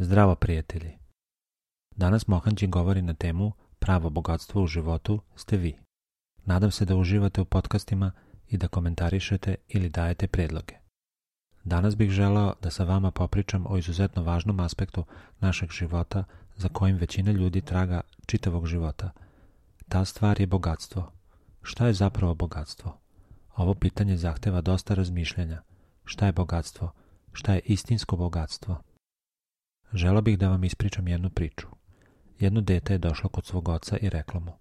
Zdravo prijatelji! Danas Mohanđi govori na temu pravo bogatstvo u životu ste vi. Nadam se da uživate u podcastima i da komentarišete ili dajete predloge. Danas bih želeo da sa vama popričam o izuzetno važnom aspektu našeg života za kojim većina ljudi traga čitavog života. Ta stvar je bogatstvo. Šta je zapravo bogatstvo? Ovo pitanje zahteva dosta razmišljanja. Šta je bogatstvo? Šta je istinsko bogatstvo? Želeo bih da vam ispričam jednu priču. Jedno dete je došlo kod svog oca i reklo mu: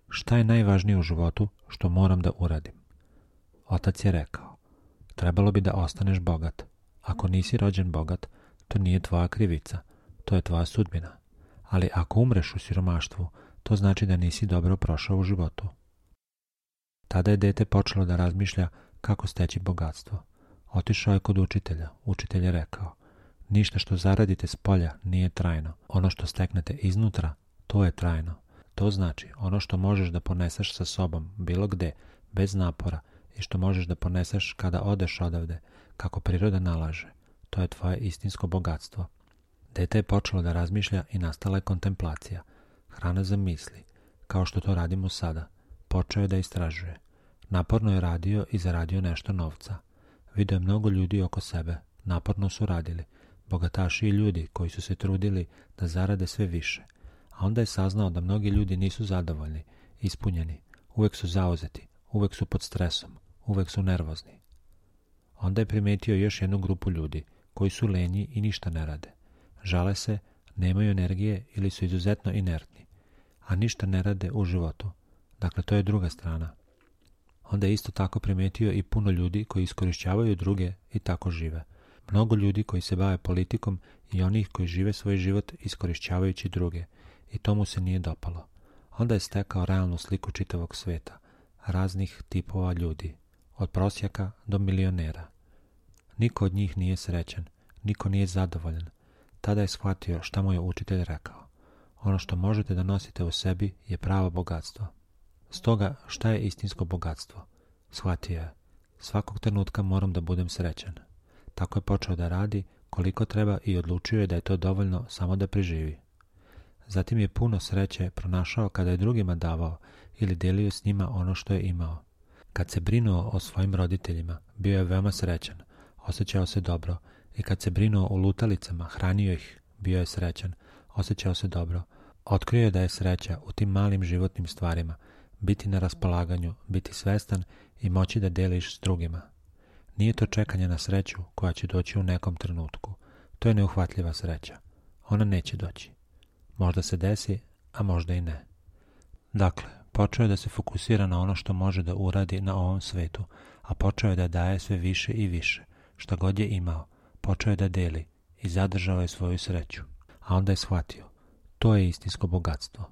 šta je najvažnije u životu što moram da uradim? Otac je rekao: trebalo bi da ostaneš bogat. Ako nisi rođen bogat, to nije tvoja krivica, to je tvoja sudbina. Ali ako umreš u siromaštvu, to znači da nisi dobro prošao u životu. Tada je dete počelo da razmišlja kako steći bogatstvo. Otišao je kod učitelja. Učitelj je rekao: ništa što zaradite s polja nije trajno. Ono što steknete iznutra, to je trajno. To znači ono što možeš da poneseš sa sobom bilo gde, bez napora, i što možeš da poneseš kada odeš odavde, kako priroda nalaže. To je tvoje istinsko bogatstvo. Dete je počelo da razmišlja i nastala je kontemplacija, hrana za misli, kao što to radimo sada. Počeo je da istražuje. Naporno je radio i zaradio nešto novca. Video je mnogo ljudi oko sebe. Naporno su radili. Bogataši i ljudi koji su se trudili da zarade sve više. A onda je saznao da mnogi ljudi nisu zadovoljni, ispunjeni, uvek su zauzeti, uvek su pod stresom, uvek su nervozni. Onda je primetio još jednu grupu ljudi koji su lenji i ništa ne rade. Žale se, nemaju energije ili su izuzetno inertni, a ništa ne rade u životu. Dakle, to je druga strana. Onda je isto tako primetio i puno ljudi koji iskorišćavaju druge i tako žive. Mnogo ljudi koji se bave politikom i onih koji žive svoj život iskorišćavajući druge, i to mu se nije dopalo. Onda je stekao realnu sliku čitavog sveta, raznih tipova ljudi, od prosjaka do milionera. Niko od njih nije srećan, niko nije zadovoljan. Tada je shvatio šta mu je učitelj rekao. Ono što možete da nosite u sebi je pravo bogatstvo. Stoga, šta je istinsko bogatstvo? Shvatio je: svakog trenutka moram da budem srećan. Tako je počeo da radi koliko treba i odlučio je da je to dovoljno samo da preživi. Zatim je puno sreće pronašao kada je drugima davao ili delio s njima ono što je imao. Kad se brinuo o svojim roditeljima, bio je veoma srećan, osjećao se dobro, i kad se brinuo o lutalicama, hranio ih, bio je srećan, osjećao se dobro. Otkrio je da je sreća u tim malim životnim stvarima, biti na raspolaganju, biti svestan i moći da deliš s drugima. Nije to čekanje na sreću koja će doći u nekom trenutku. To je neuhvatljiva sreća. Ona neće doći. Možda se desi, a možda i ne. Dakle, počeo je da se fokusira na ono što može da uradi na ovom svetu, a počeo je da daje sve više i više. Šta god je imao, počeo je da deli i zadržao je svoju sreću. A onda je shvatio: to je istinsko bogatstvo.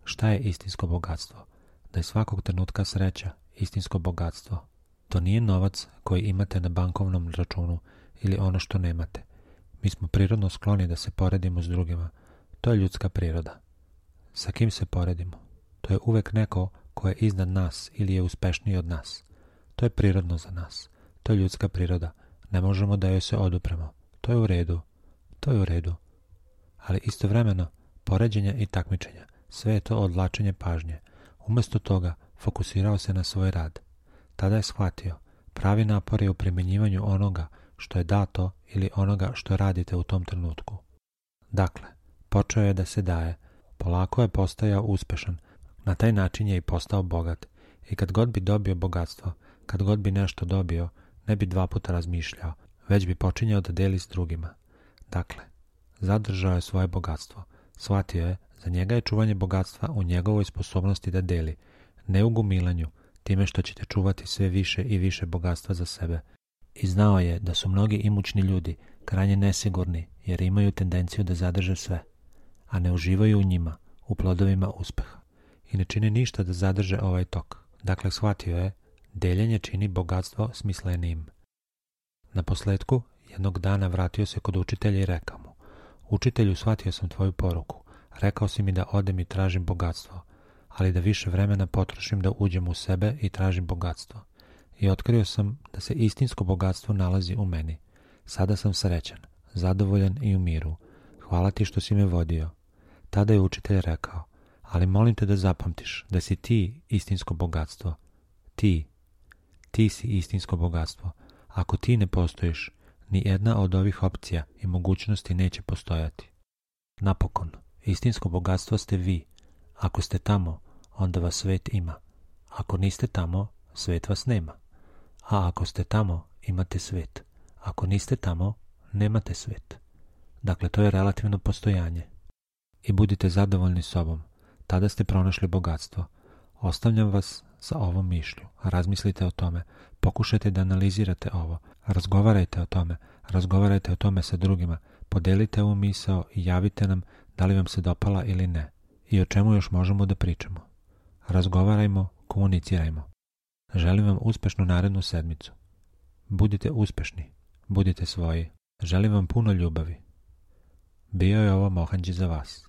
Šta je istinsko bogatstvo? Da je svakog trenutka sreća istinsko bogatstvo. To nije novac koji imate na bankovnom računu ili ono što nemate. Mi smo prirodno skloni da se poredimo s drugima. To je ljudska priroda. Sa kim se poredimo? To je uvek neko ko je iznad nas ili je uspešniji od nas. To je prirodno za nas. To je ljudska priroda. Ne možemo da joj se odupremo. To je u redu. To je u redu. Ali istovremeno, poređenja i takmičenja, sve je to odvlačenje pažnje. Umesto toga, fokusirao se na svoj rad. Tada je shvatio: pravi napor je u primjenjivanju onoga što je dato ili onoga što radite u tom trenutku. Dakle, počeo je da se daje. Polako je postajao uspešan. Na taj način je i postao bogat. I kad god bi dobio bogatstvo, kad god bi nešto dobio, ne bi dva puta razmišljao, već bi počinjao da deli s drugima. Dakle, zadržao je svoje bogatstvo. Shvatio je, za njega je čuvanje bogatstva u njegovoj sposobnosti da deli, ne u gomilanju, time što ćete čuvati sve više i više bogatstva za sebe. I znao je da su mnogi imućni ljudi krajnje nesigurni jer imaju tendenciju da zadrže sve, a ne uživaju u njima, u plodovima uspeha, i ne čine ništa da zadrže ovaj tok. Dakle, shvatio je, deljenje čini bogatstvo smislenijim. Na posledku, jednog dana vratio se kod učitelja i rekao mu: učitelju, shvatio sam tvoju poruku. Rekao si mi da odem i tražim bogatstvo, ali da više vremena potrošim da uđem u sebe i tražim bogatstvo. I otkrio sam da se istinsko bogatstvo nalazi u meni. Sada sam srećan, zadovoljan i u miru. Hvala ti što si me vodio. Tada je učitelj rekao, ali molim te da zapamtiš da si ti istinsko bogatstvo. Ti si istinsko bogatstvo. Ako ti ne postojiš, ni jedna od ovih opcija i mogućnosti neće postojati. Napokon, istinsko bogatstvo ste vi. Ako ste tamo, onda vas svet ima. Ako niste tamo, svet vas nema. A ako ste tamo, imate svet. Ako niste tamo, nemate svet. Dakle, to je relativno postojanje. I budite zadovoljni sobom. Tada ste pronašli bogatstvo. Ostavljam vas sa ovom mišlju. Razmislite o tome. Pokušajte da analizirate ovo. Razgovarajte o tome sa drugima. Podelite ovu misao i javite nam da li vam se dopala ili ne. I o čemu još možemo da pričamo. Razgovarajmo, komunicirajmo. Želim vam uspešnu narednu sedmicu. Budite uspešni. Budite svoji. Želim vam puno ljubavi. Bio je ovo Mohanđi za vas.